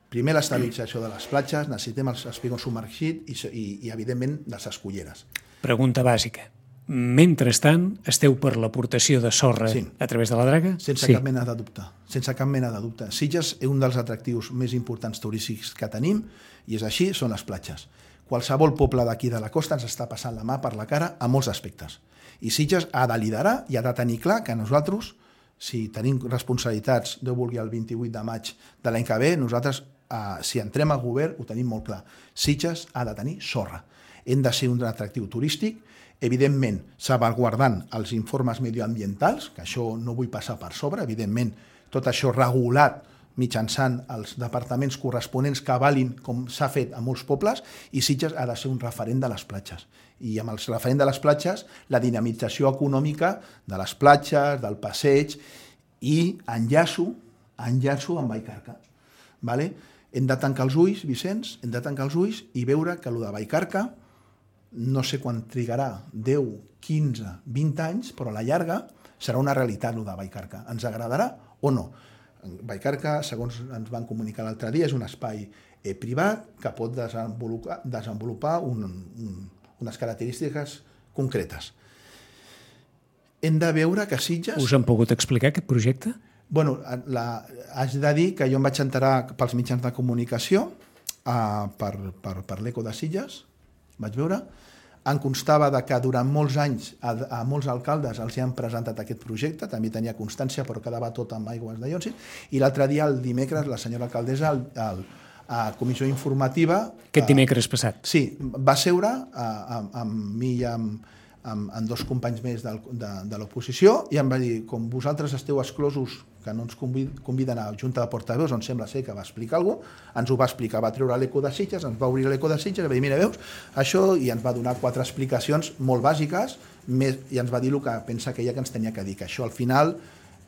[SPEAKER 3] primer l'estabilització de les platges, necessitem els espigons submergits i, i, i, evidentment, les esculleres.
[SPEAKER 2] Pregunta bàsica. Mentrestant, esteu per l'aportació de sorra sí. a través de la draga?
[SPEAKER 3] Sense sí. cap mena de dubte. Sense cap mena de dubte. Sitges és un dels atractius més importants turístics que tenim i és així, són les platges. Qualsevol poble d'aquí de la costa ens està passant la mà per la cara a molts aspectes. I Sitges ha de liderar i ha de tenir clar que nosaltres, si tenim responsabilitats, Déu vulgui el vint-i-vuit de maig de l'any que ve, nosaltres, eh, si entrem al govern, ho tenim molt clar. Sitges ha de tenir sorra. Hem de ser un atractiu turístic, evidentment, salvaguardant els informes medioambientals, que això no vull passar per sobre, evidentment, tot això regulat mitjançant els departaments corresponents que avalin, com s'ha fet a molts pobles, i Sitges ha de ser un referent de les platges. I amb el referent de les platges, la dinamització econòmica de les platges, del passeig, i enllaço, enllaço amb Vallcarca. Vale? Hem de tancar els ulls, Vicenç, hem de tancar els ulls i veure que el de Vallcarca no sé quan trigarà, deu, quinze, vint anys, però a la llarga serà una realitat el de Vallcarca. Ens agradarà o no? Vallcarca, segons ens van comunicar l'altre dia, és un espai eh, privat que pot desenvolupar, desenvolupar un, un, unes característiques concretes. Hem de veure que Sitges...
[SPEAKER 2] Us han pogut explicar aquest projecte?
[SPEAKER 3] Bueno, la, haig de dir que jo em vaig enterar pels mitjans de comunicació uh, per, per, per l'Eco de Sitges, vaig veure, em constava de que durant molts anys a, a molts alcaldes els hi han presentat aquest projecte, també tenia constància, però quedava tot amb aigües de Llonsis, i l'altre dia, el dimecres, la senyora alcaldessa, el, el, a comissió informativa...
[SPEAKER 2] Aquest dimecres passat?
[SPEAKER 3] Sí, va seure uh, amb, amb mi i amb, amb, amb dos companys més de, de, de l'oposició i em va dir, com vosaltres esteu exclosos, que no ens conviden a la Junta de Portaveus, on sembla ser que va explicar alguna cosa, ens ho va explicar, va treure l'Eco de Sitges, ens va obrir l'Eco de Sitges, i va dir, mira, veus, això, i ens va donar quatre explicacions molt bàsiques, més, i ens va dir el que pensa que ella que ens tenia que dir, que això al final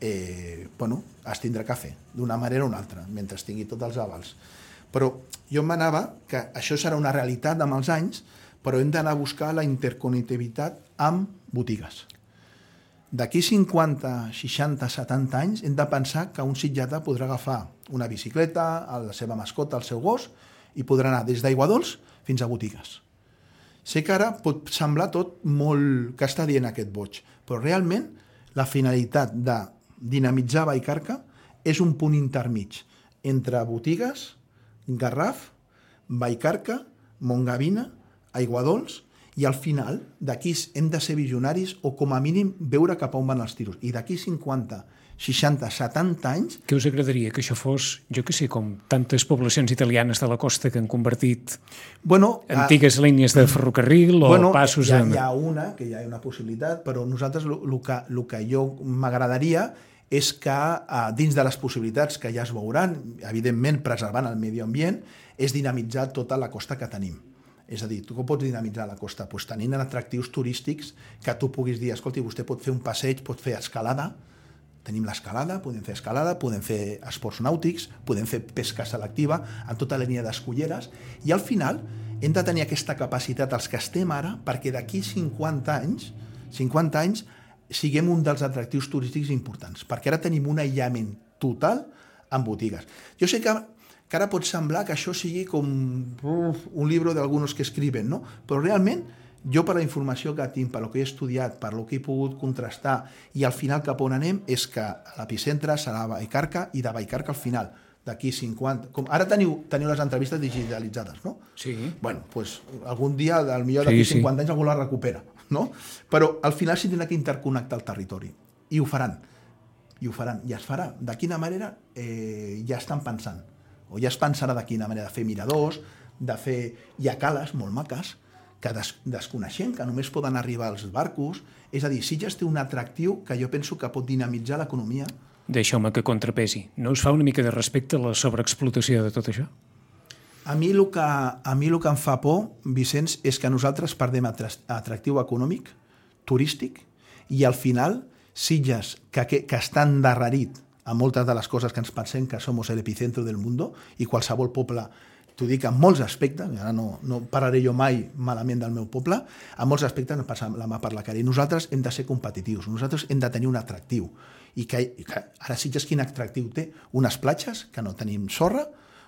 [SPEAKER 3] eh, bueno, es tindrà que fer, d'una manera o una altra, mentre tingui tots els avals. Però jo em manava que això serà una realitat amb els anys, però hem d'anar a buscar la interconnectivitat amb botigues. D'aquí cinquanta, seixanta, setanta anys hem de pensar que un sitjata podrà agafar una bicicleta, la seva mascota, el seu gos, i podrà anar des d'Aiguadols fins a botigues. Sé que ara pot semblar tot molt que està dient aquest boig, però realment la finalitat de dinamitzar Vallcarca és un punt intermig entre botigues, Garraf, Vallcarca, Montgavina, Aiguadols, i al final d'aquí hem de ser visionaris o com a mínim veure cap a on van els tiros. I d'aquí cinquanta, seixanta, setanta anys...
[SPEAKER 2] Què us agradaria? Que això fos, jo que sé, com tantes poblacions italianes de la costa que han convertit
[SPEAKER 3] bueno,
[SPEAKER 2] antigues uh, línies de ferrocarril o
[SPEAKER 3] bueno,
[SPEAKER 2] passos...
[SPEAKER 3] Hi ha,
[SPEAKER 2] en...
[SPEAKER 3] hi ha una, que hi ha una possibilitat, però nosaltres el que, lo que jo m'agradaria és que uh, dins de les possibilitats que ja es veuran, evidentment preservant el medi ambient, és dinamitzar tota la costa que tenim. És a dir, tu com pots dinamitzar la costa? Pues tenint atractius turístics que tu puguis dir, escolti, vostè pot fer un passeig, pot fer escalada, tenim l'escalada, podem fer escalada, podem fer esports nàutics, podem fer pesca selectiva en tota la línia d'esculleres, i al final hem de tenir aquesta capacitat els que estem ara perquè d'aquí cinquanta anys, cinquanta anys siguem un dels atractius turístics importants, perquè ara tenim un aïllament total en botigues. Jo sé que que ara pot semblar que això sigui com uf, un llibre d'alguns que escriben, no? Però realment, jo per la informació que tinc, per lo que he estudiat, per lo que he pogut contrastar, i al final cap on anem, és que l'epicentre serà Vallcarca, i de Vallcarca al final, d'aquí cinquanta... Com, ara teniu, teniu les entrevistes digitalitzades, no?
[SPEAKER 2] Sí.
[SPEAKER 3] Bueno, pues, algun dia, al millor d'aquí sí, cinquanta sí. anys, algú la recupera, no? Però al final s'hi tindrà que interconnectar el territori, i ho faran, i ho faran, i es farà. De quina manera eh, ja estan pensant. O ja es pensarà de quina manera de fer miradors, de fer... Hi ha cales molt maques que des, desconeixem, que només poden arribar als barcos. És a dir, Sitges té un atractiu que jo penso que pot dinamitzar l'economia.
[SPEAKER 2] Deixeu-me que contrapesi. No us fa una mica de respecte a la sobreexplotació de tot això?
[SPEAKER 3] A mi el que, a mi el que em fa por, Vicenç, és que nosaltres perdem atractiu econòmic, turístic, i al final Sitges, que, que, que està endarrerit a moltes de les coses que ens pensem que som el epicentro del mundo, i qualsevol poble, t'ho dic en molts aspectes, ara no, no parlaré jo mai malament del meu poble, en molts aspectes ens passa la mà per la cara, i nosaltres hem de ser competitius, nosaltres hem de tenir un atractiu, i que, i que ara Sitges quin atractiu té? Unes platges que no tenim sorra,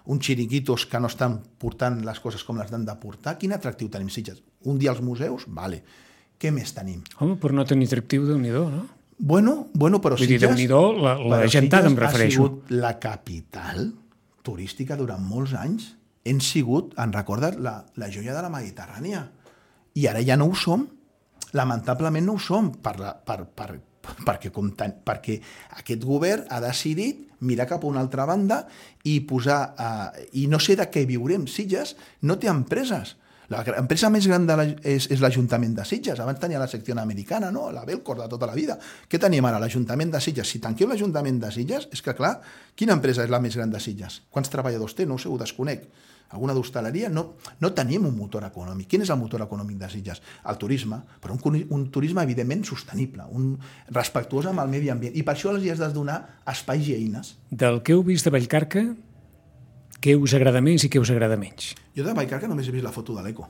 [SPEAKER 3] uns xiringuitos que no estan portant les coses com les han de portar, quin atractiu tenim Sitges? Un dia als museus? Vale. Què més tenim?
[SPEAKER 2] Home, per no tenir atractiu, Déu-n'hi-do, no?
[SPEAKER 3] Bueno, bueno, però
[SPEAKER 2] Vull dir, Déu-n'hi-do, la, la gentada em refereixo.
[SPEAKER 3] Ha sigut la capital turística durant molts anys. Hem sigut, en recordes, la, la joia de la Mediterrània. I ara ja no ho som. Lamentablement no ho som, per la, per, per, perquè, com tan, perquè aquest govern ha decidit mirar cap a una altra banda i posar... Eh, I no sé de què viurem. Sitges no té empreses. L'empresa més gran de la, és, és l'Ajuntament de Sitges. Abans tenia la secció americana, no? La Belcor de tota la vida. Què tenim ara? L'Ajuntament de Sitges. Si tanqueu l'Ajuntament de Sitges, és que, clar, quina empresa és la més gran de Sitges? Quants treballadors té? No ho sé, ho desconec. Alguna d'hostaleria? No, no tenim un motor econòmic. Quin és el motor econòmic de Sitges? El turisme, però un, un turisme evidentment sostenible, un respectuós amb el medi ambient. I per això els hi has de donar espais i eines.
[SPEAKER 2] Del que heu vist de Vallcarca, què us agrada més i què us agrada menys?
[SPEAKER 3] Jo de Vallcarca només he vist la foto de l'Eco.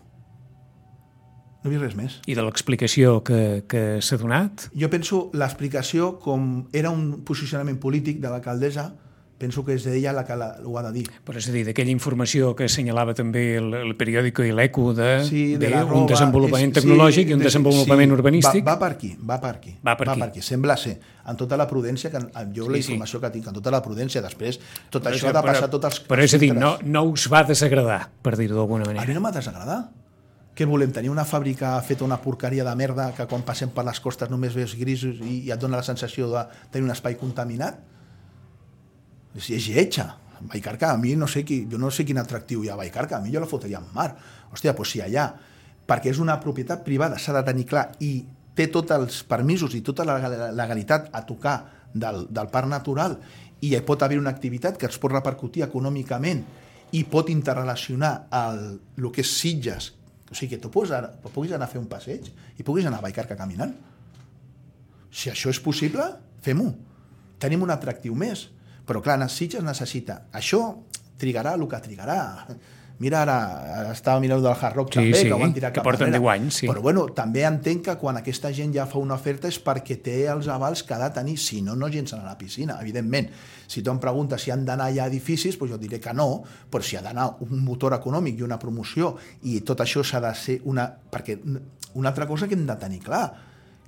[SPEAKER 3] No he vist res més.
[SPEAKER 2] I de l'explicació que, que s'ha donat?
[SPEAKER 3] Jo penso l'explicació com era un posicionament polític de l'alcaldessa, penso que és ella la que la, ho ha de dir.
[SPEAKER 2] Però és a dir, d'aquella informació que assenyalava també el, el periòdico i l'Eco de,
[SPEAKER 3] sí, de,
[SPEAKER 2] de
[SPEAKER 3] roba,
[SPEAKER 2] un desenvolupament
[SPEAKER 3] és,
[SPEAKER 2] tecnològic
[SPEAKER 3] sí,
[SPEAKER 2] i un
[SPEAKER 3] de,
[SPEAKER 2] desenvolupament
[SPEAKER 3] sí,
[SPEAKER 2] urbanístic.
[SPEAKER 3] Va, va per aquí, va per aquí.
[SPEAKER 2] Va per
[SPEAKER 3] va
[SPEAKER 2] aquí.
[SPEAKER 3] per aquí. Sembla ser, amb tota la prudència, que jo
[SPEAKER 2] sí,
[SPEAKER 3] la informació
[SPEAKER 2] sí.
[SPEAKER 3] que tinc, amb tota la prudència, després tot
[SPEAKER 2] però
[SPEAKER 3] això ha de passar tots els...
[SPEAKER 2] Però és a dir, no, no us va desagradar, per dir-ho d'alguna manera.
[SPEAKER 3] A mi no m'ha desagradat. Què volem? Tenir una fàbrica feta una porqueria de merda que quan passem per les costes només veus grisos i, i et dona la sensació de tenir un espai contaminat? És, és lletja. Vallcarca, a mi no sé qui, jo no sé quin atractiu hi ha a Vallcarca, a mi jo la fotria en mar. Hòstia, doncs si allà, perquè és una propietat privada, s'ha de tenir clar, i té tots els permisos i tota la legalitat a tocar del, del parc natural, i hi pot haver una activitat que es pot repercutir econòmicament i pot interrelacionar el, el que és Sitges, o sigui que tu puguis anar, puguis anar a fer un passeig i puguis anar a Vallcarca caminant. Si això és possible, fem-ho. Tenim un atractiu més. Però clar, Sitges necessita. Això trigarà el que trigarà. Mira, ara estava mirant del Hard Rock
[SPEAKER 2] sí,
[SPEAKER 3] també,
[SPEAKER 2] sí,
[SPEAKER 3] que ho van tirar
[SPEAKER 2] que
[SPEAKER 3] cap
[SPEAKER 2] porten
[SPEAKER 3] enrere.
[SPEAKER 2] deu anys, sí.
[SPEAKER 3] Però bueno, també entenc que quan aquesta gent ja fa una oferta és perquè té els avals que ha de tenir, si no, no llencen a la piscina, evidentment. Si tu em preguntes si han d'anar ja a edificis, doncs jo diré que no, però si ha d'anar un motor econòmic i una promoció, i tot això s'ha de ser una... Perquè una altra cosa que hem de tenir clar,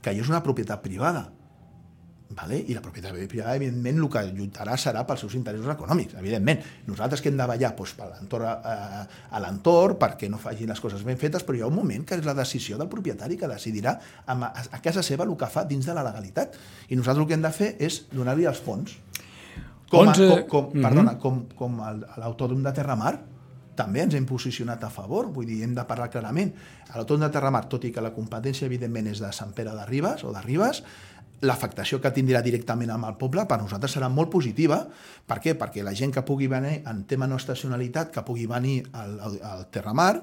[SPEAKER 3] que allò és una propietat privada. Vale? I la propietat privada, evidentment, el que lluitarà serà pels seus interessos econòmics, evidentment. Nosaltres que hem de ballar doncs, per l'entorn, eh, a l'entorn perquè no facin les coses ben fetes, però hi ha un moment que és la decisió del propietari que decidirà a, a casa seva el que fa dins de la legalitat. I nosaltres el que hem de fer és donar-li els fons. Com, a, com, com, uh-huh. perdona, com, com l'Autòdrom de Terramar, també ens hem posicionat a favor, vull dir, hem de parlar clarament. A l'Autòdrom de Terramar, tot i que la competència, evidentment, és de Sant Pere de Ribes o de Ribes, l'afectació que tindrà directament amb el poble per nosaltres serà molt positiva. Per què? Perquè la gent que pugui venir en tema no estacionalitat, que pugui venir al, al Terramar,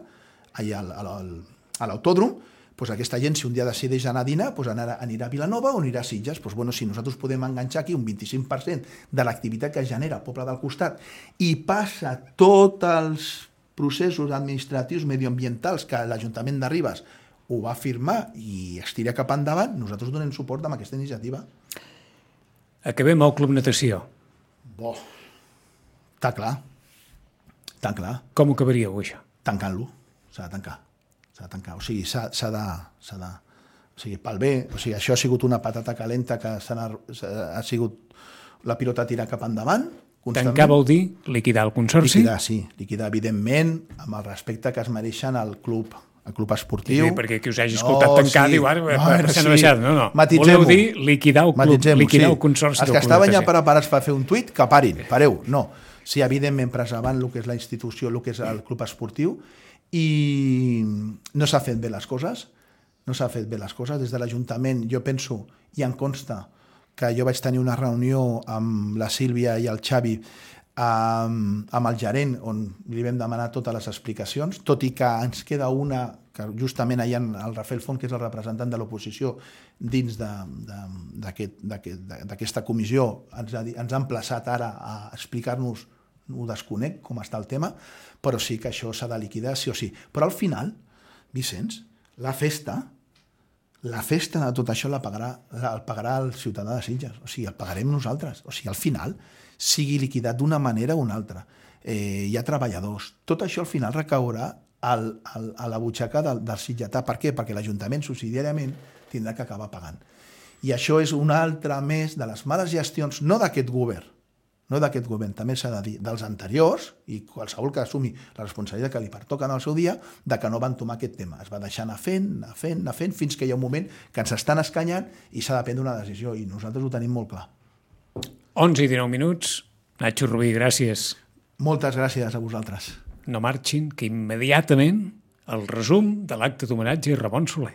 [SPEAKER 3] allà al, al, a l'autòdrom, doncs aquesta gent, si un dia decideix anar a dinar, doncs anirà, anirà a Vilanova o anirà a Sitges. Doncs bueno, si nosaltres podem enganxar aquí un vint-i-cinc per cent de l'activitat que genera el poble del costat i passa tots els processos administratius medioambientals que l'Ajuntament de Ribes ho va firmar i es tira cap endavant, nosaltres donem suport amb aquesta iniciativa.
[SPEAKER 2] Acabem al Club Natació.
[SPEAKER 3] Bo, està clar, està clar.
[SPEAKER 2] Com ho acabaríeu, això?
[SPEAKER 3] Tancant-lo, s'ha de tancar, s'ha de tancar, o sigui, s'ha, s'ha de... S'ha de o sigui, pel bé, o sigui, això ha sigut una patata calenta que s'ha, ha sigut la pilota tirar cap endavant.
[SPEAKER 2] Tancar vol dir liquidar el consorci?
[SPEAKER 3] Liquidar, sí, liquidar, evidentment, amb el respecte que es mereixen al club el club esportiu.
[SPEAKER 2] Sí, perquè qui us hagi escoltat no, tancar, sí. diu, ara, no, passant
[SPEAKER 3] sí.
[SPEAKER 2] a baixar. No, no. Voleu dir liquidar el club, liquidar sí. el consorci.
[SPEAKER 3] Els que estaven ja preparats per fer un tuit, que parin, pareu. No, sí, evidentment, preservant el que és la institució, el que és el club esportiu, i no s'ha fet bé les coses, no s'ha fet bé les coses. Des de l'Ajuntament, jo penso, i em consta, que jo vaig tenir una reunió amb la Sílvia i el Xavi, amb, amb el gerent, on li vam demanar totes les explicacions, tot i que ens queda una, que justament hi ha el Rafael Font, que és el representant de l'oposició dins d'aquesta comissió, ens ha, ens ha emplaçat ara a explicar-nos, ho desconec, com està el tema, però sí que això s'ha de liquidar, sí o sí. Però al final, Vicenç, la festa, la festa de tot això la pagarà, la, el pagarà el ciutadà de Sitges, o sigui, el pagarem nosaltres, o sigui, al final, sigui liquidat d'una manera o una altra. Eh, hi ha treballadors. Tot això al final recaurà al, al, a la butxaca del, del sitgetà. Per què? Perquè l'Ajuntament subsidiàriament tindrà que acabar pagant. I això és una altra més de les males gestions, no d'aquest govern, no d'aquest govern, també s'ha de dir, dels anteriors, i qualsevol que assumi la responsabilitat que li pertoca en el seu dia, de que no van tomar aquest tema. Es va deixar anar fent, anar fent, anar fent, fins que hi ha un moment que ens estan escanyant i s'ha de prendre una decisió, i nosaltres ho tenim molt clar.
[SPEAKER 2] onze i dinou minuts. Nacho Rubí, gràcies.
[SPEAKER 3] Moltes gràcies a vosaltres.
[SPEAKER 2] No marxin, que immediatament el resum de l'acte d'homenatge a Ramon Soler.